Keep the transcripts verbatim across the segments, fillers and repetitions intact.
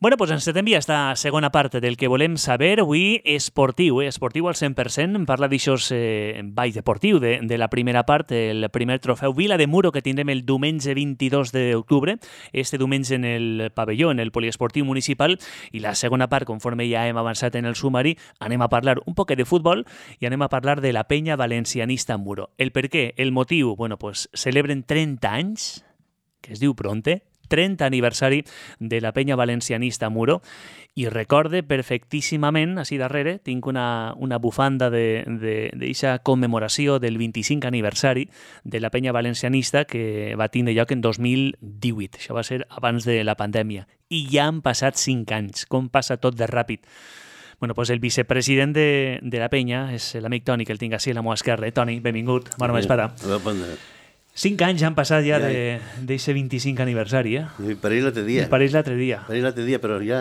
Bueno, doncs ens envia esta segona part del que volem saber. Avui esportiu, eh? esportiu al cent per cent. Parla d'aixòs eh, ball deportiu de, de la primera part, el primer trofeu Vila de Muro que tindrem el diumenge vint-i-dos d'octubre, este diumenge en el pavelló, en el poliesportiu municipal, i la segona part, conforme ja hem avançat en el sumari, anem a parlar un poc de futbol i anem a parlar de la penya valencianista Muro. El per què, el motiu, bueno, pues celebren trenta anys, que es diu Pronte, trenta aniversari de la penya valencianista Muro, i recorde perfectíssimament, així darrere, tinc una, una bufanda d'aquesta commemoració del vint-i-cinc aniversari de la penya valencianista que va tindre lloc en dos mil divuit. Això va ser abans de la pandèmia. I ja han passat cinc anys. Com passa tot de ràpid. Bueno, pues el vicepresident de, de la penya és l'amic Toni, que el tinc així a la meva esquerra. Toni, benvingut. Bona vesprada. Cinc anys han passat ja d'aquest vint-i-cinc aniversari, eh? I pareix l'altre dia. I pareix l'altre dia. Pareix l'altre dia, però ja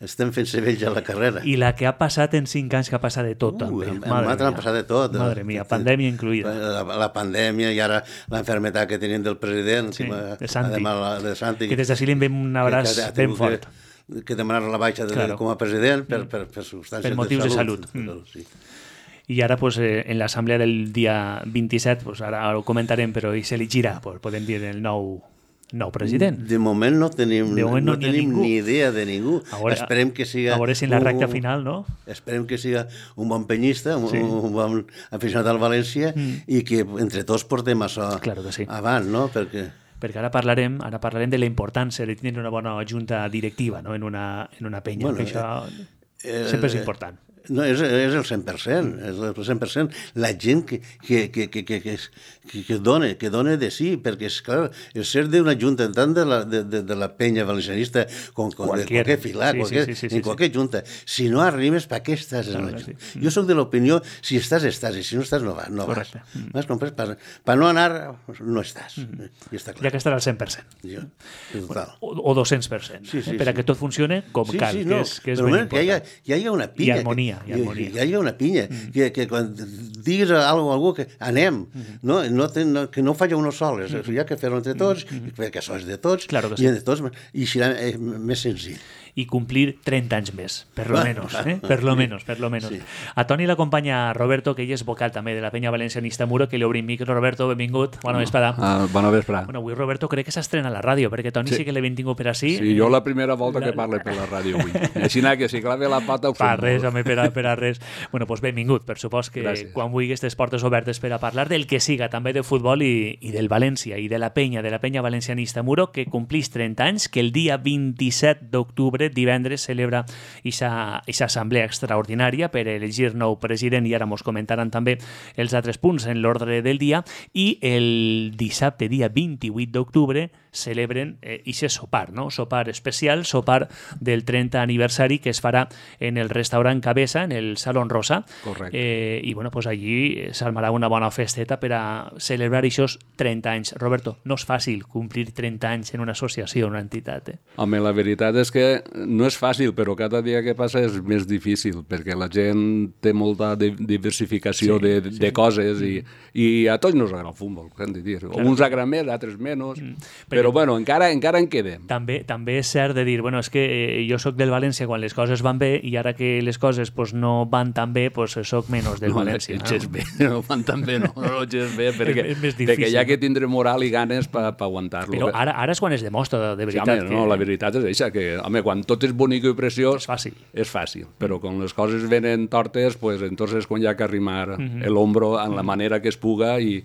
estem fent-se vells a la carrera. I la que ha passat en cinc anys, que ha passat de tot, uh, també. En nosaltres han passat de tot. Madre mia, pandèmia incluïda. La, la pandèmia i ara l'enfermetat que tenim del president. Sí, que, de Santi. De Santi. Que des d'ací li enviem un abraç que, que ben fort. Que, que demanar la baixa de, claro. com a president per, per, per substàncies per motius de salut. De salut. Mm. Sí. I ara, pues, eh, en l'assemblea del dia vint-i-set, pues, ara ho comentarem, però i s'elegirà, pues, podem dir, el nou, nou president. De moment no tenim, de moment no, no tenim ni idea de ningú. A veure, esperem que siga... A veure si en la recta un, final, no? Esperem que siga un bon penyista, un, sí. un bon aficionat al València, mm. i que entre tots portem això claro que sí. avant, no? Perquè... perquè ara parlarem, ara parlarem de la importància de tenir una bona junta directiva, no? en, una, en una penya, bueno, que això eh, sempre és important. No, és, és el cent per cent, és el cent per cent. La gent que, que, que, que, que, que, que, dona, que dona de sí, perquè, és clar, el ser d'una junta, tant de la, de, de, de la penya valencianista com, com de qualque filar, sí, qualque, sí, sí, sí, en qualque sí. junta, si no arribes, per què estàs en la junta? Sí. Jo soc de l'opinió, si estàs, estàs, i si no estàs, no, va, no vas. M'has comprès? Per, per no anar, no estàs. Mm. I està clar. Ja que estarà al cent per cent. Jo, total. O, o dos-cents per cent, sí, sí, eh? per sí. a que tot funcione com sí, cal, sí, no. que és, que és ben important. Que hi, ha, hi hagi una pinya. I harmonia. Hi ha, hi ha una pinya, mm. que, que quan diguis a algú, a algú que anem, mm. no, no, te, no, que no faci uno soles, mm. hi ha que fer-ho entre tots, mm. perquè això és de tots, claro i entre tots, i serà eh, més senzill. I complir trenta anys més, per lo menos, eh? per lo menos, per lo menos. Sí. A Toni l'acompanya Roberto, que ell és vocal també de la penya valencianista Muro, que li obrim micro. Roberto, benvingut, bona vesprada. Ah, bona vesprada. Bueno, avui Roberto crec que s'estrena a la ràdio, perquè Toni sí, sí que l'he tingut per ací. Sí, jo la primera volta la... que parle per la ràdio avui. Així que si clave la pata ho fem. Per res, home, per a, per a res. Bueno, doncs benvingut, per supòs que Gràcies. Quan vulguis aquestes portes obertes per a parlar del que siga, també de futbol i, i del València, i de la penya, de la penya valencianista Muro, que complís trenta anys, que el dia vint-i-set d'octubre, divendres, celebra aquesta assemblea extraordinària per elegir nou president, i ara mos comentaran també els altres punts en l'ordre del dia, i el dissabte, dia vint-i-vuit d'octubre, celebren aquest eh, sopar, no? Sopar especial, sopar del trenta aniversari, que es farà en el restaurant Cabeza, en el Salón Rosa. Correcte. Eh, I bueno, pues allí s'armarà una bona festeta per a celebrar aquests trenta anys. Roberto, no és fàcil complir trenta anys en una associació, una entitat. Eh? Home, la veritat és que no és fàcil, però cada dia que passa és més difícil, perquè la gent té molta diversificació sí, de, de, sí. de coses, i, i a tots nos agrada el futbol, hem de dir. Claro. Uns agraden més, altres menys, mm. però bueno, encara, encara en quedem. També, també és cert de dir, bueno, és que eh, jo soc del València quan les coses van bé, i ara que les coses pues, no van tan bé, pues, soc menys del no, València. No, no? bé, no van tan bé, no, no és bé, perquè, és, és més difícil, perquè ja que tindré moral i ganes per pa, pa aguantar-lo. Però ara, ara és quan es demostra, de veritat. Sí, home, no, que... la veritat és això, que home, quan tot és bonic i preciós, és fàcil. És fàcil, però quan les coses venen tortes, pues, entonces quan hi ha que arrimar uh-huh. el hombro en la manera que es puga i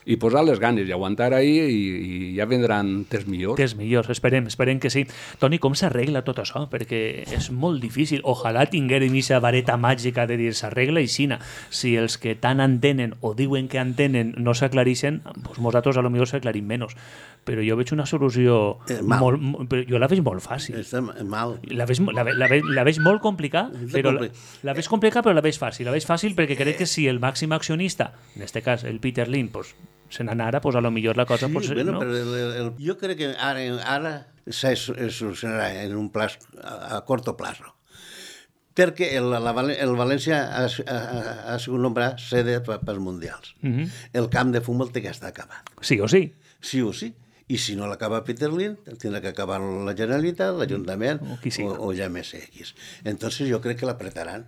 i posar les ganes i aguantar ahí, i, i ja vendran temps millors. Temps millors, esperem, esperem que sí. Toni, com s'arregla tot això? Perquè és molt difícil. Ojalà tinguérem aquesta vareta màgica de dir s'arregla i xina. Si els que tant entenen o diuen que entenen no s'aclarixen, doncs nosaltres a lo millor s'aclarim menys. Però jo veig una solució eh, molt, molt, jo la veig molt fàcil. Està mal. La veig, la, la, veig, la veig molt complicada, però la, la veig complicada, però la veig fàcil. La veig fàcil perquè crec que si el màxim accionista, en aquest cas el Peter Lim, pues, se n'anara, pues a lo millor la cosa... Sí, pues, bueno, no? Però el, el, jo crec que ara, ara se solucionarà en un plaç, a, a corto plazo. Perquè el, la, el València ha, ha, ha sigut nombrat sede pels mundials. Uh-huh. El camp de futbol té que estar acabat. Sí o sí. Sí o sí. I si no l'acaba Peter Lind, tindrà que acabar la Generalitat, l'Ajuntament o, qui sigui. o, o Llamés X. Entonces jo crec que l'apretaran.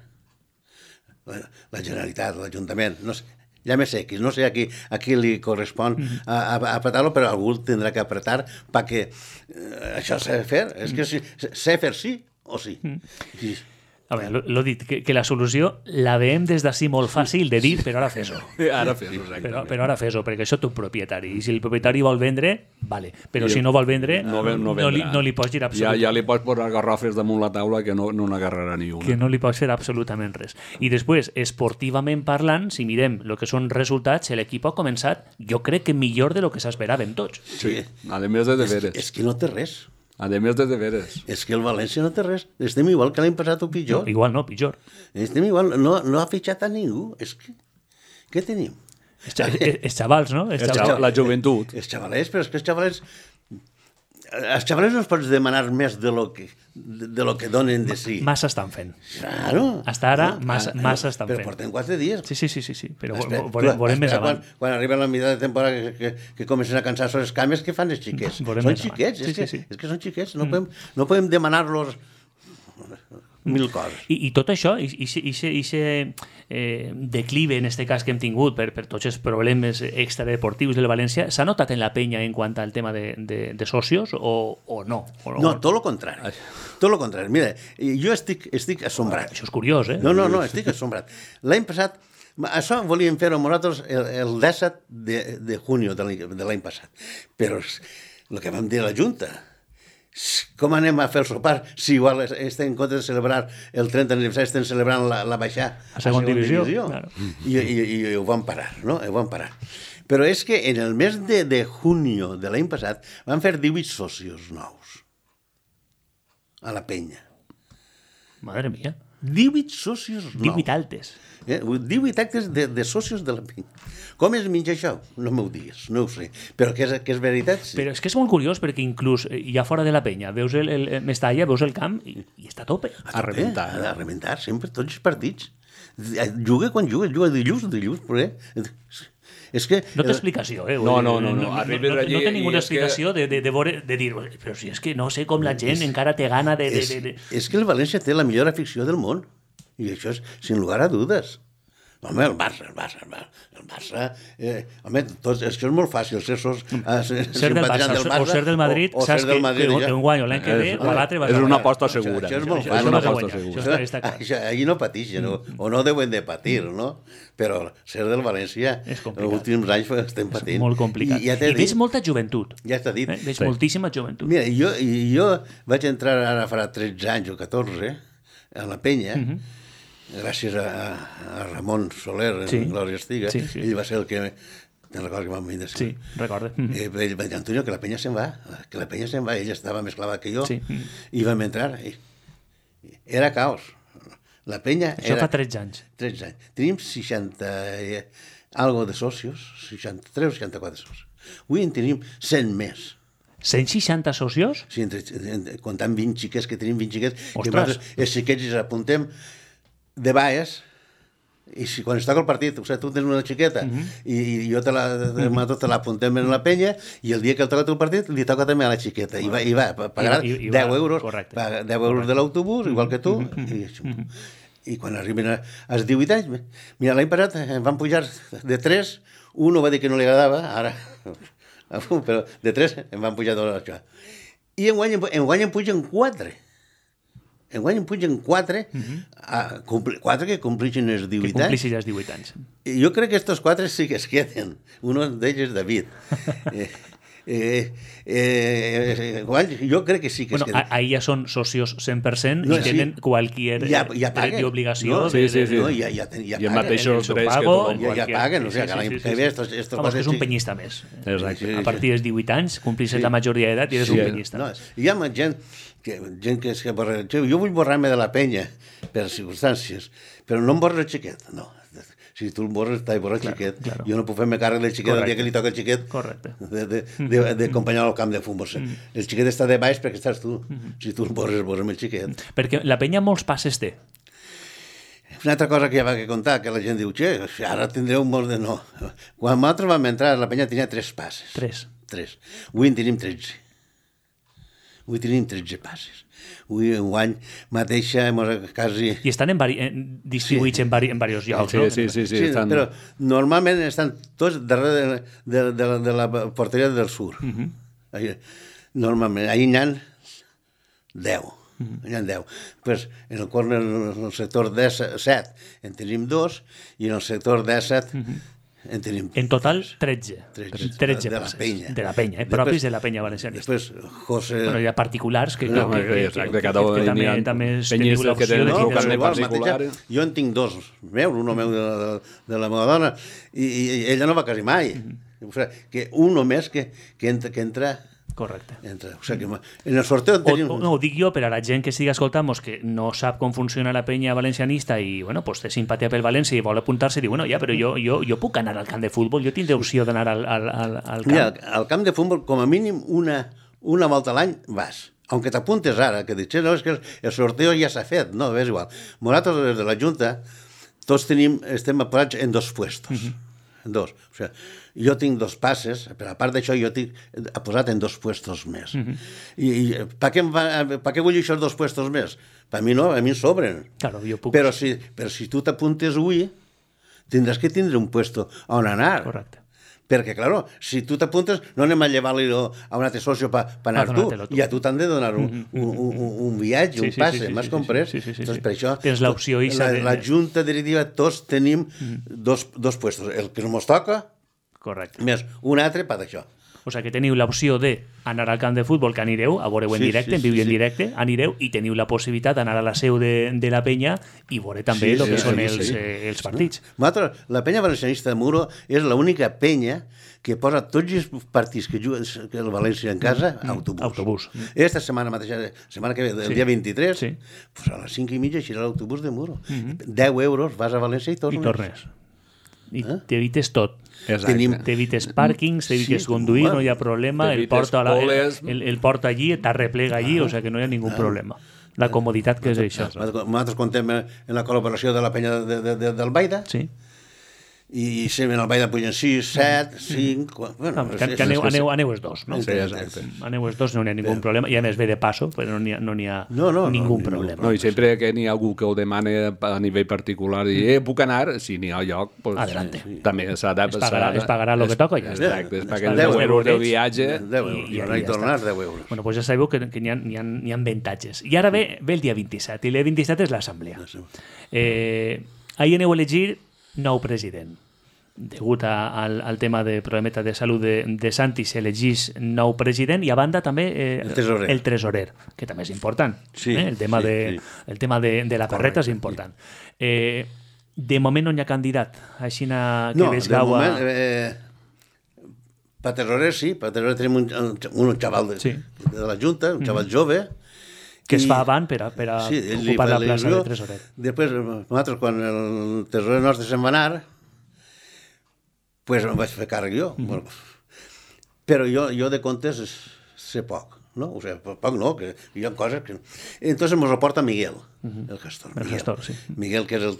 La, la Generalitat, l'Ajuntament, no sé, Llamés X, no sé a qui, a qui li correspon a, a, a apretar-lo, però algú tindrà que apretar perquè eh, això s'ha de fer. És que si, s'ha de fer sí o sí. I, A veure, l'ho dit, que, que la solució la veiem des d'ací molt fàcil de dir, però ara fes-ho. Ara fes-ho, exactament. Però, però ara fes-ho, perquè això té un propietari. I si el propietari vol vendre, vale. Però I si no vol vendre, no, no, no, li, no li pots dir absolutament. Ja, ja li pots posar garrofes damunt la taula que no, no n'agarrarà ni una. Que no li pots fer absolutament res. I després, esportivament parlant, si mirem el que són resultats, l'equip ha començat, jo crec que millor de lo que s'esperàvem tots. Sí, a més de deberes. És, és que no té res. A més de deberes. És que el València no té res. Estem igual que l'any passat o pitjor. No, igual no, pitjor. Estem igual. No, no ha fitxat a ningú. És que... Què tenim? Els, els xavals, no? Els xavals. La joventut. Els xavalets, però és que els xavalets... Els xavalets no es pots demanar més de lo que, de, de lo que donen de si. Massa estan fent. Claro. Hasta ara, massa, massa estan però fent. Però portem quatre dies. Sí, sí, sí, sí, sí. Però Espera, veurem, veurem més avant. Quan, quan arriba la mitjà de temporada que, que, que comencen a cansar les cames, què fan els xiquets? Veurem Són xiquets, sí, és, que, sí, sí. és que són xiquets. No, mm. podem, no podem demanar-los mil coses. I, i tot això, i aquest eh, declive en este cas que hem tingut per, per tots els problemes extradeportius del València, s'ha notat en la penya en quant al tema de, de, de socios o, o no? O no, tot el contrari. Tot el contrari. Mira, jo estic, estic assombrat. Això és curiós, eh? No, no, no, estic assombrat. L'any passat, això volíem fer-ho nosaltres el, el disset de, de junio de l'any passat. Però el que vam dir a la Junta, com anem a fer el sopar si igual estem en compte de celebrar el trenta aniversari, estem celebrant la, la baixada a segona divisió, divisió. Claro. I, i, i, i ho vam parar, no? Ho vam parar. Però és que en el mes de, de junio de l'any passat van fer divuit socios nous a la penya. Madre mia. divuit socios nous. divuit altes. Eh? divuit actes de, de socios de la penya. Com es menja això? No m'ho digues, no ho sé. Però que és, que és veritat, sí. Però és que és molt curiós perquè inclús ja fora de la penya veus el, el, el Mestalla, veus el camp i, i està a tope. A, a rebentar. A rebentar, sempre, tots els partits. Juga quan juga, juga dilluns, dilluns, però eh? És que... No té explicació, eh? No, no, no. No, no, no, no, no té ninguna explicació que... de, de, de, de dir, però si és que no sé com la gent és, encara té gana de... de, és, de, de... és que el València té la millor afició del món. I això és sin lugar a dudes. Home, el Barça, el Barça, el Barça, el Barça eh, home, tots, és que és molt fàcil ser, sos, eh, ser, ser del Barça, del Barça o ser del Madrid, o, o saps ser del Madrid, que, que un guanyo l'any que ve o l'altre vas a... És una aposta segura. Això és molt fàcil. És una aposta segura. Això, està, està això, allí no patixen, o, o no deuen de patir, no? Però ser del València, els últims anys estem patint. És molt complicat. I, ja I veig molta joventut. Ja està dit. Eh? Veig sí. moltíssima joventut. Mira, jo, jo vaig entrar ara farà tretze anys o catorze a la penya, uh -huh. gràcies a, a Ramon Soler, en sí. Glòria Estiga, sí, sí. Ell va ser el que... Te'n recordes que vam venir? Sí, recordo. Eh, ell va dir, Antonio, que la penya se'n va, que la penya se'n va, ell estava més clavat que jo, sí. I vam entrar, i era caos. La penya Això era... fa tretze anys. tretze anys. Tenim seixanta eh, algo de socios, seixanta-tres o seixanta-quatre socios. Avui en tenim cent més. cent seixanta socios? Sí, entre, entre, comptant vint xiquets, que tenim vint xiquets, Ostres. que els xiquets els apuntem de baes, i si quan es toca el partit, o sigui, tu tens una xiqueta, uh -huh. i, i jo te la, uh-huh. te l'apuntem en la penya, i el dia que el toca el partit, li toca també a la xiqueta, i va, i va pagar I, i, i deu euros, paga deu euros de l'autobús, igual que tu, uh-huh. i, uh-huh. i quan arriben als divuit anys, mira, l'any passat em van pujar de tres, un va dir que no li agradava, ara, però de tres em van pujar dos, això. I enguany, enguany em pugen quatre. Enguany em pugen quatre, uh-huh. a, compli, quatre que complixin els divuit anys. Que complixin els divuit anys. I jo crec que estos quatre sí que es queden. Un d'ells és David. eh, eh, eh, jo crec que sí que bueno, es queden. Ahí ja són socios cent per cent no, i tenen sí. qualquier ja, ja dret d'obligació. No, sí, sí, sí. No, ja, ja, ja I amb mateixos drets que tothom. Ja, ja paguen, o sigui, que l'any que ve estos, estos Home, que és un penyista més. Exacte. A partir dels divuit anys, complixes sí. la majoria d'edat i eres sí. un penyista. No, hi ha gent que, gent que és que borra... Jo vull borrar-me de la penya per circumstàncies, però no em borra el xiquet, no. Si tu el borres, t'has borrat el xiquet. Claro. Jo no puc fer-me càrrec del xiquet el dia que li toca el xiquet d'acompanyar al camp de futbol. Mm. El xiquet està de baix perquè estàs tu. Mm. Si tu el borres, borrem el xiquet. Perquè la penya molts passes té. Una altra cosa que ja va que contar, que la gent diu, che, ara tindreu molts de... No. Quan nosaltres vam entrar, la penya tenia tres passes. Tres. tres. Avui en tenim tretze. Avui tenim tretze passes. Avui, un any mateixa, quasi... I estan en vari... en, distribuïts sí. en, vari... en diversos llocs, sí, no? Sí, sí, sí. sí estan... Però normalment estan tots darrere de, de, de, de la porteria del sur. Uh-huh. Ahí, normalment, ahir n'hi ha deu. Uh-huh. N'hi ha deu. Pues, en el corner, en el sector set, en tenim dos, i en el sector disset uh-huh. en tenim... En total, tretze. tretze, tretze de la passes. penya. De la penya, eh? Després, propis de la penya valencianista. Després, José... Bueno, hi ha particulars que, No, que, que, exacte, que, que, cada que, que també, ha també penyistes teniu que l'opció tenen de el tindre... carnet igual, particular. mateixa, jo en tinc dos meus, un meu de, de, de la meva dona, i, i ella no va quasi mai. Mm-hmm. O sigui, que un només que, que, entra, que entra... Correcte. Entra. O sigui, que en el sorteo en O, tenim... o, no, ho dic jo per a la gent que estigui escoltant-nos que no sap com funciona la penya valencianista i bueno, pues, té simpatia pel València i vol apuntar-se i diu, bueno, ja, però jo, jo, jo puc anar al camp de futbol, jo tindré opció d'anar al, al, al, al camp. Mira, al camp de futbol, com a mínim, una, una volta a l'any vas. Aunque t'apuntes ara, que dius, no, és que el sorteo ja s'ha fet, no, és igual. Nosaltres, des de la Junta, tots tenim, estem apurats en dos puestos. Uh-huh. En dos. O sigui, jo tinc dos passes, però a part d'això jo tinc posat en dos puestos més. Uh-huh. I, i per, què va, per què vull aquests dos puestos més? Per mi no, a mi em sobren. Claro, jo puc... Però si, però si tu t'apuntes avui, tindràs que tindre un puesto on anar. Correcte. Perquè, claro, si tu t'apuntes, no anem a llevar-li a un altre soci per pa anar tu, tu, i a tu t'han de donar un, un, un, un viatge, sí, un passe, sí, sí, m'has sí, comprès? Sí, sí, sí, sí, Entonces, sí. per això, tens l'opció i la, de... la Junta Directiva, tots tenim mm. dos, dos puestos, el que no ens toca, correcte. més un altre per d'això. O sigui que teniu l'opció d'anar al camp de futbol, que anireu, a veure-ho en Sí, directe, sí, en viu i sí, en sí. directe, anireu i teniu la possibilitat d'anar a la seu de, de la penya i veure també el Sí, que sí, són sí, els, sí. eh, els partits. Nosaltres, la penya valencianista de Muro és l'única penya que posa tots els partits que juguen que el València en casa a autobús. Autobús. Esta setmana mateixa, setmana que ve, el Sí. dia vint-i-tres, Sí. pues a les cinc i mitja eixirà l'autobús de Muro. deu euros, vas a València i tornes. I tornes. I t'evites tot. Exacte. Tenim- T'evites pàrquings, t'evites Sí, conduir, bueno, no hi ha problema, el t'evites porta, a la, el, poles. el, el porta allí, t'arreplega allí, o sigui que no hi ha ningú problema. La comoditat que és això. Nosaltres contem en la col·laboració de la penya de, de, de, del Baida, Sí. i sempre en el Baida pugen sis, set, cinc... Bueno, Que, que aneu, aneu, aneu els dos, no? Sí, exacte. Aneu els dos, no n'hi ha ningú problema, i a més ve de passo, però no n'hi ha, no n'hi ha No, no, no, ningú ningú problema. No, i sempre que n'hi ha algú que ho demana a nivell particular i eh, puc anar, si n'hi ha lloc, pues, Adelante. també s'ha de... Es pagarà, es pagarà el que toca i ja està. Exacte, es Es paguen pagarà deu euros de eurets. viatge. deu euros, I- i- i, anar i i ja tornar, està. deu euros. Bueno, pues ja sabeu que, que n'hi ha, n'hi ha, n'hi ha avantatges. I ara ve, ve el dia vint-i-set, i el dia vint-i-set és l'assemblea. Eh, ahir aneu a elegir nou president. Degut a, al, al tema de problemeta de salut de, de Santi, s'elegís nou president i a banda també eh, El tresorer. el tresorer, que també és important. Sí, eh? El tema, sí, de, sí. el tema de, de la perreta és important. Eh, de moment no hi ha candidat. Així que No, ves de Gaua... moment, eh, per terrorer sí, per terrorer tenim un, un xaval de, Sí. de la Junta, un xaval jove, que es i- fa avant per a, per a sí, ell li ocupar fa la plaça il·lusió. de tresorer. Després, nosaltres, quan el tresorer nostre se'n va anar, pues em vaig fer càrrec jo. Mm -hmm. Bueno, però jo, jo de comptes sé poc, no? O sigui, poc no, que hi ha coses que... Entonces mos reporta Miguel, mm -hmm. el gestor. El Miguel. gestor, sí. Miguel, que és el,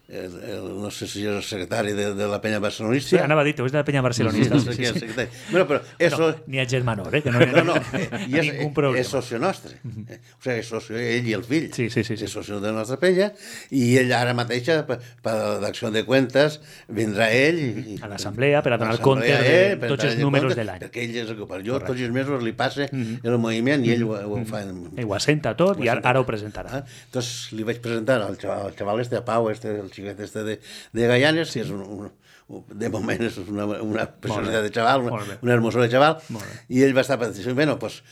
el, el no sé si és el secretari de, de la penya barcelonista. Sí, anava a dir, és de la penya barcelonista. No Sí, sé sí, qui és sí. el secretari. Bueno, però eso... No, ni a Germanor, eh? Que no hi ha No, no, eh, i és, ningú problema. és socio nostre. Eh, O sigui, és socio, ell i el fill. Sí, sí, sí, sí. És socio de la nostra penya, i ell ara mateixa, per, per l'acció de cuentes, vindrà ell... I, A l'assemblea per a donar a compte l'assemblea de ell, per tots donar els números compte, de l'any. Perquè ell és el que per jo, tots els mesos li passa el moviment i ell ho, ho fa... En, Ell ho assenta tot i ara, ara ho presentarà. Ah, Entonces li vaig presentar al xaval, al xaval este, a Pau, este, el xiquet este de, de Gallanes, sí. que és un, un, un, de moment és una, una personalitat de xaval, una, molt bé. una hermosura de xaval, Molt bé. i ell va estar per dir, bueno, pues,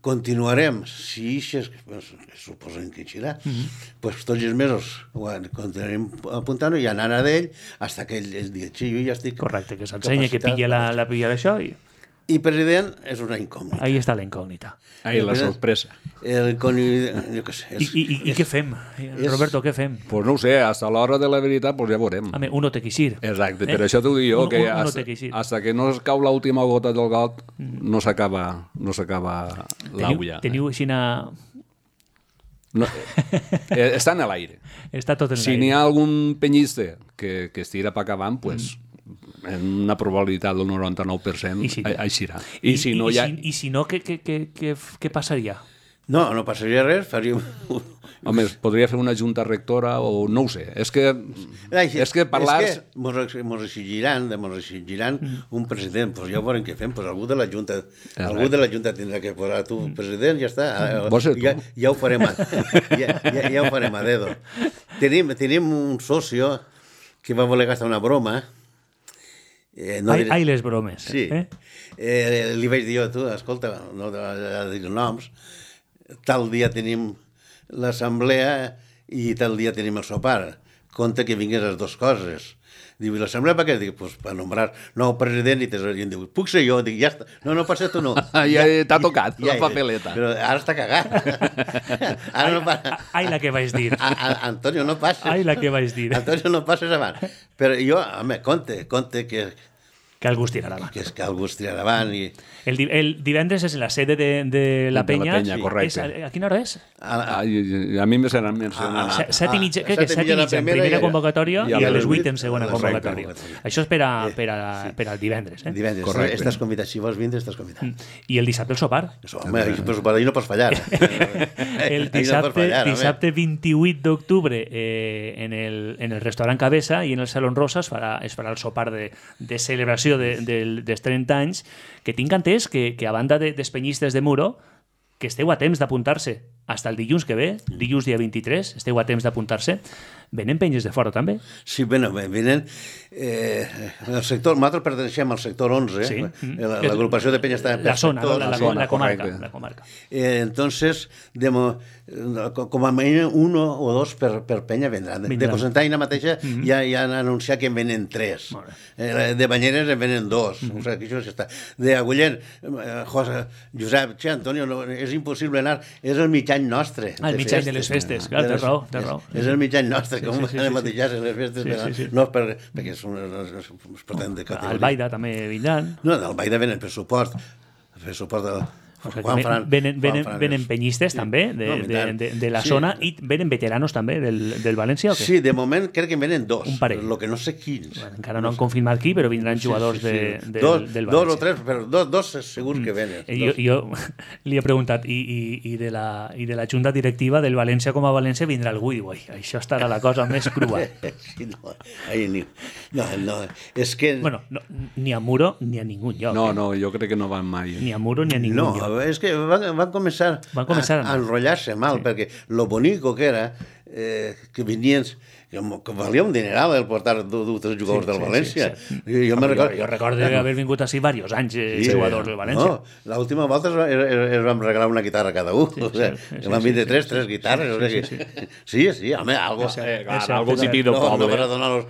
continuarem, si ixes, pues, suposem que eixirà, mm -hmm. pues tots els mesos bueno, continuarem apuntant-ho i anant a d'ell fins que ell, ell digui, sí, jo ja estic... Correcte, que s'ensenyi, que capacitat pilla la, la pilla d'això i I president és una incògnita. ahí està la incògnita. Ahí la sorpresa. El coni... jo què sé. I, És, i, i, i què fem? Roberto, què fem? Pues no ho sé, hasta l'hora de la veritat pues ja veurem. Home, uno té que eixir. Exacte, Eh? per això t'ho dic jo, Un- que un- uno hasta, té que eixir. hasta que no es cau l'última gota del got no s'acaba no s'acaba Teniu, l'aula. teniu així una... No, eh, està en l'aire. Està tot en Si l'aire. n'hi ha algun penyista que, que estira per acabant, pues, en una probabilitat del noranta-nou per cent, I si no? així serà. I, I, si i, no, i, ja... si, i si no, què, què, què, què, què passaria? No, no passaria res, faríem... Home, es podria fer una junta rectora o no ho sé. És que, Ai, és que parlar... És que mos, mos exigiran, mos exigiran mm. un president, pues ja veurem què fem, pues algú de la Junta, algú de la Junta tindrà que posar tu president, ja està. Vols ser tu? Ja, ja ho farem a, ja, ja, ja ho farem a dedo. Tenim, tenim un socio que va voler gastar una broma. Eh, no ai, diré... ai, les bromes. Sí. Eh? Eh, li vaig dir jo, tu, escolta, no a dir noms, tal dia tenim l'assemblea i tal dia tenim el sopar. Compte que vinguin les dues coses. Diu, i l'assemblea per què? Dic, pues per nombrar nou president i tesorer. I em diu, puc ser jo? Dic, ja està. No, no, per ser tu no. Ja t'ha tocat la papeleta. Però ara està cagat. Ara no passa. Ai, la que vaig dir. A, a, Antonio, no passes. Ai, la que vaig dir. Antonio, no passes avant. Però jo, home, compte, compte que... Que algú es tirarà avant. Que és que algú es tirarà avant i... El, el divendres és la sede de, de la Penya. De la Penya, correcte. És, a, a quina hora és? A, a, a mi me seran mencionant. Ah, set i mitja, crec que set i mitja en primera convocatòria i a les vuit en segona convocatòria. Això és per, a, per, a, per al divendres. Eh? Divendres, correcte. Estàs convidat. Si vols vindre, estàs convidat. I el dissabte el sopar. Home, ahir no pots fallar. El dissabte, dissabte vint-i-vuit d'octubre eh, en, el, en el restaurant Cabeza i en el Salón Rosa es farà, es farà el sopar de, de celebració de, de, dels trenta anys, que tinc entès que, que a banda de, dels penyistes de Muro, que esteu a temps d'apuntar-se fins el dilluns que ve, dilluns dia vint-i-tres, esteu a temps d'apuntar-se. Venen penyes de fora, també? Sí, bueno, venen... Eh, el sector, nosaltres perteneixem al sector onze, sí. L'agrupació de penyes està per la zona, sector, la, la, la, la comarca. La comarca. Eh, entonces, de, com a mínim uno o dos per, per penya vendran. De, de Cocentaina mateixa mm -hmm. ja, ja han anunciat que en venen tres. Eh, de Banyeres en venen dos. Mm -hmm. O sigui, que això ja està. De Agullent, eh, José, Josep, che, Antonio, no, és impossible anar, és el mig any nostre. Ah, el mig any de les festes, clar, té raó, té raó. És el mig any nostre, com sí, sí, anem a deixar en les festes, sí, sí, sí. No per, perquè són es pretén de categoria. Albaida també vindran. No, d'Albaida venen per suport, per suport del... O sigui, Juan Fran, venen, venen, Juan venen penyistes sí. també de, no, de, de, de la sí. zona i venen veteranos també del, del València o què? Sí, de moment crec que en venen dos. Un parell. Lo que no sé quins. Bueno, encara no han confirmat qui, però vindran jugadors sí, sí, sí. De, de, dos, del València. Dos o tres, però dos, dos segur que venen. Mm. Jo, jo li he preguntat i, i, i, de la, i de la junta directiva del València com a València vindrà algú i diu, això estarà la cosa més crua. Sí, no, ahí ni, no, no, és que... Bueno, no, ni a Muro ni a ningú lloc. No, no, jo crec que no van mai. Ni a Muro ni a ningú no, lloc. No, és que van, van començar, van començar a, a enrotllar-se mal, sí. Perquè lo bonico que era eh, que venien... Que, que valia un dineral el portar dos jugadors sí, del València. Sí, sí, sí. Jo, jo, record... jo, jo recordo eh, haver vingut així diversos anys eh, sí, jugadors del València. No, l'última volta es, es, es vam regalar una guitarra cada un. Sí, o sea, sí, sí, van vindre sí, tres, sí, tres guitarres. Sí, sí, sí, sí, sí home, algo... Eh, clar, algo típic del poble. No, no per donar los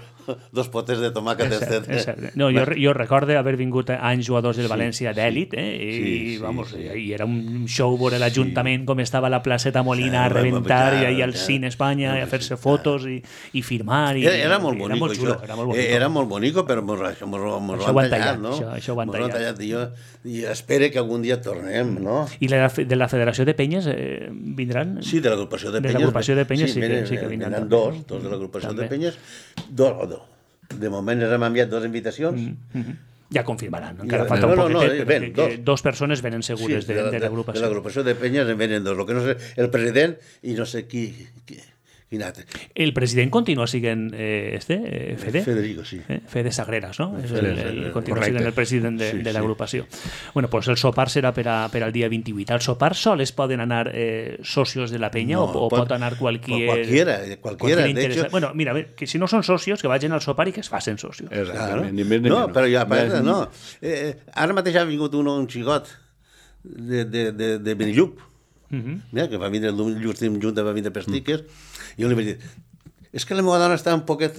dos potes de tomàquet. És cert, és cert. No, jo, jo recordo haver vingut anys jugadors del València sí, d'èlit, eh? I, sí, sí, vamos, sí. I era un show veure l'Ajuntament sí. Com estava la placeta Molina sí, a rebentar i ahir al Cine Espanya a fer-se fotos i, i firmar. I, era, era molt bonico, era molt xulo, era molt bonico. Era molt bonico, però mos, mos, mos ho han tallat, no? Això, això ho han tallat. tallat i, jo, I espero que algun dia tornem, no? I la, de la Federació de Penyes eh, vindran? Sí, de l'agrupació de Penyes. De l'agrupació de Penyes sí, sí, que, sí que vindran. Vindran dos, dos de l'agrupació de Penyes, dos o dos. De moment ens hem enviat dues invitacions. Mm -hmm. Ja confirmaran, encara ja, no, falta un no, poquetet, no, ven, perquè dos. dos persones venen segures sí, de, de, de l'agrupació. De l'agrupació de Penyes en venen dos, lo que no sé, el president i no sé qui... qui quin altre. El president continua sent eh, este, eh, Fede? Federico, sí. Eh? Fede Sagreras, no? És el, el, el, continua sent el president de, sí, de l'agrupació. Sí. Bueno, pues el sopar serà per, a, per al dia vint-i-vuit. Al sopar sols poden anar eh, socios de la penya no, o, o pot, pot anar qualquier... Qualquiera, qualquiera. De hecho... Bueno, mira, que si no són socios, que vagin al sopar i que es facin socios. Exactament. Claro. No, però jo, a part, no. Eh, ara mateix ha vingut un, un xigot de, de, de, de Benillup, uh -huh. Mira, que va vindre l'últim junta, va vindre per stickers, i jo li vaig dir, és que la meva dona està un poquet...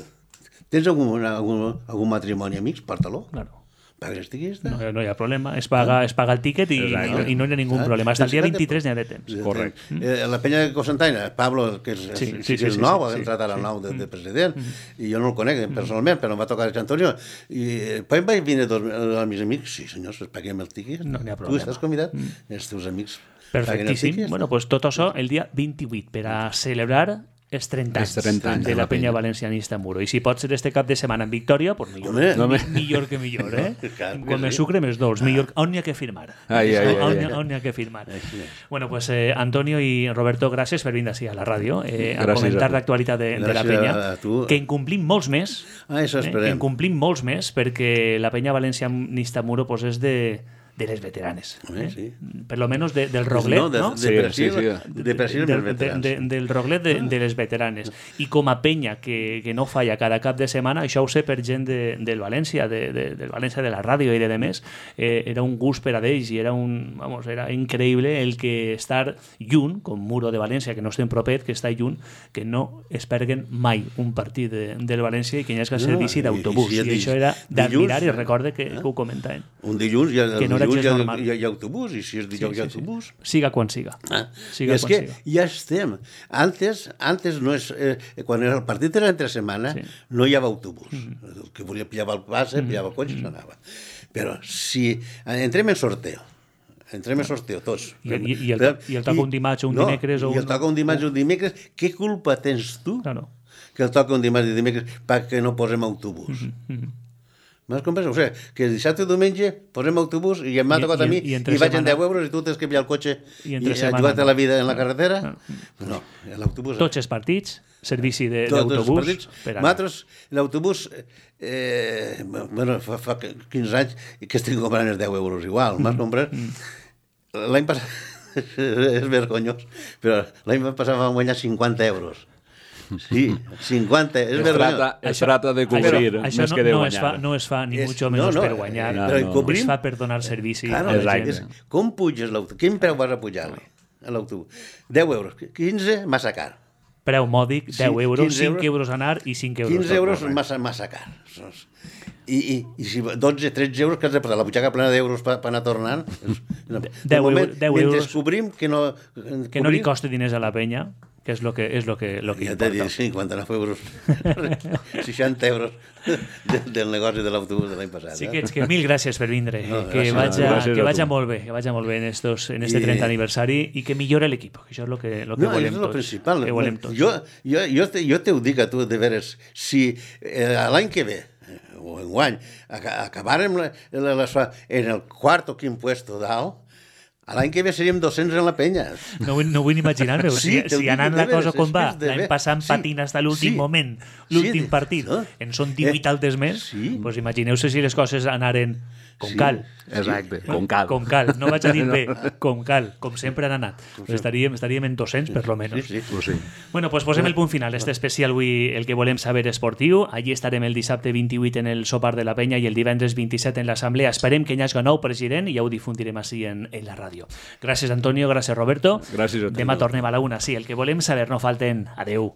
Tens algun, algun, algun matrimoni, amics? Porta-lo. Claro. Paga els tiquets? No, no hi ha problema. Es paga, es paga el tíquet i, no, i no hi ha ningú problema. Hasta el dia vint-i-tres n'hi ha de temps. Correcte. Eh, la penya de Cocentaina, Pablo, que és, sí, sí, que és sí, nou, sí, ha entrat ara al nou de, de president, mm. i jo no el conec personalment, però em va tocar el Antonio, i poi vaig vindre dos els meus amics, sí senyors, paguem el tíquet. No n'hi ha problema. Tu estàs convidat, mm. els teus amics. Perfectíssim. Bueno, pues tot això el dia vint-i-vuit per a celebrar els trenta anys, Els trenta anys de la penya valencianista Muro. I si pot ser este cap de setmana en victòria, pues millor, Home. mi, millor que millor, eh? Clar que Com més sí. sucre, més dolç. Millor, on n'hi ha que firmar? Ai, ai, ai, on, ai. n'hi ha- on n'hi ha que firmar? Bueno, pues eh, Antonio i Roberto, gràcies per vindre així a la ràdio eh, a Gràcies comentar a tu. l'actualitat de, de la Gràcies penya, a tu. que en complim molts més, Ah, això eh, que esperem. en complim molts més, perquè la penya valencianista Muro pues, és de, de les veteranes. Home, Eh? sí. Per lo menos de, del Roglet, no, de, no? de, Sí, per sí, si, sí. de per si del, dels de, veterans. de, del Roglet de, de les veteranes. I com a penya que, que no falla cada cap de setmana, això ho sé per gent de, del València, de, de, del València de la ràdio i de demés, eh, era un gust per a d'ells i era, un, vamos, era increïble el que estar lluny, com Muro de València, que no estem propet, que està lluny, que no es perguen mai un partit de, del València i que hi hagi servici No, i- d'autobús. i si I, és això di- era d'admirar i dilluns, recorde que, eh? que ho comentaven. Un dilluns hi ha, Que no era dilluns gens hi ha, normal. hi ha, hi ha autobús, i si és dijous hi ha autobús... Siga quan siga. Ah, Siga és quan que siga. ja estem. Antes, antes no és, eh, quan el partit era entre setmana, Sí. no hi havia autobús. El que volia pillava el passe, pillava el cotxe i s'anava. Però si entrem en sorteo, entrem en sorteo tots. I- i- i el to- i el toca un dimarts o un no, dimecres o I el un- toca un dimarts o un dimecres, què culpa tens tu Claro. que el toca un dimarts i dimecres perquè no posem autobús? M'has comprès? O sigui, que dissabte i diumenge posem autobús i m'ha I- tocat i- a mi i i, entre vaig en setmana- deu euros i tu tens que pillar el cotxe I i, entre i setmana jugar-te no. la vida en la carretera. Ah. No, l'autobús... Tots els partits, servici de- Tots els d'autobús. partits. per anar. Nosaltres, l'autobús, eh, bueno, fa, fa quinze anys que estic comprant els deu euros igual, m'has Mm. comprat? L'any passat, és vergonyós, però l'any passat vam guanyar cinquanta euros. Sí, cinquanta, és Es vergonyós. trata, es trata de cobrir, Això, això més no, que de no, guanyar. es fa, no es fa ni És- mucho no, menos no, per guanyar. eh, però i no. cobrim- Es fa per donar servici Claro, a la Exacte. gent. és, com puges l'autobús? Quin preu vas a pujar-li a l'autobús? deu euros, quinze, massa car. Preu mòdic, Sí, deu euros, quinze cinc euros. euros anar i cinc euros. quinze tot. euros massa, massa car. I, i, i si dotze, tretze euros que has de posar la butxaca plena d'euros per pa anar tornant, és, no, de deu moment, eu- deu mentre euros. descobrim que no... Que no li costi diners a la penya, que és lo que, és lo que, lo que Ja t'he importa. dit, cinquanta-nou euros, seixanta euros del, del negoci de l'autobús de l'any passat. Sí eh? que, que mil gràcies per vindre, No, que gràcies, vaja, gràcies que a vaja tu. molt bé, que vaja molt bé en, estos, en este I- trenta aniversari i que millore l'equip, que això és lo que, lo que No, volem és el tots. principal. Que volem tots. Jo, jo, jo, te, jo te ho dic a tu, de veres, si eh, l'any que ve, eh, o enguany, aca- acabàrem la, la, la, en el quart o quin puesto dalt, a l'any que ve seríem dos-cents en la penya. No, vull- no vull ni imaginar-me, Sí, si, te ho si dic anant de la veres, cosa com és va, que és de l'any ver- passant sí, patint fins a l'últim sí, moment, sí, l'últim de- partit, no? en són divuit Eh, altes més, sí. pues imagineu-se si les coses anaren com Sí. cal. Exacte, com cal. Com cal, no vaig a dir bé, com cal, com sempre han anat. Pues estaríem, estaríem en dos-cents, per lo menos. Sí, sí. Pues sí. Bueno, pues posem el punt final. Este especial avui, el que volem saber esportiu. Allí estarem el dissabte vint-i-vuit en el sopar de la penya i el divendres vint-i-set en l'assemblea. Esperem que hi hagi nou president i ja ho difundirem així en, en la ràdio. Gràcies, Antonio, gràcies, Roberto. Gràcies a tu. Demà tornem a la una. Sí, el que volem saber no falten. Adeu.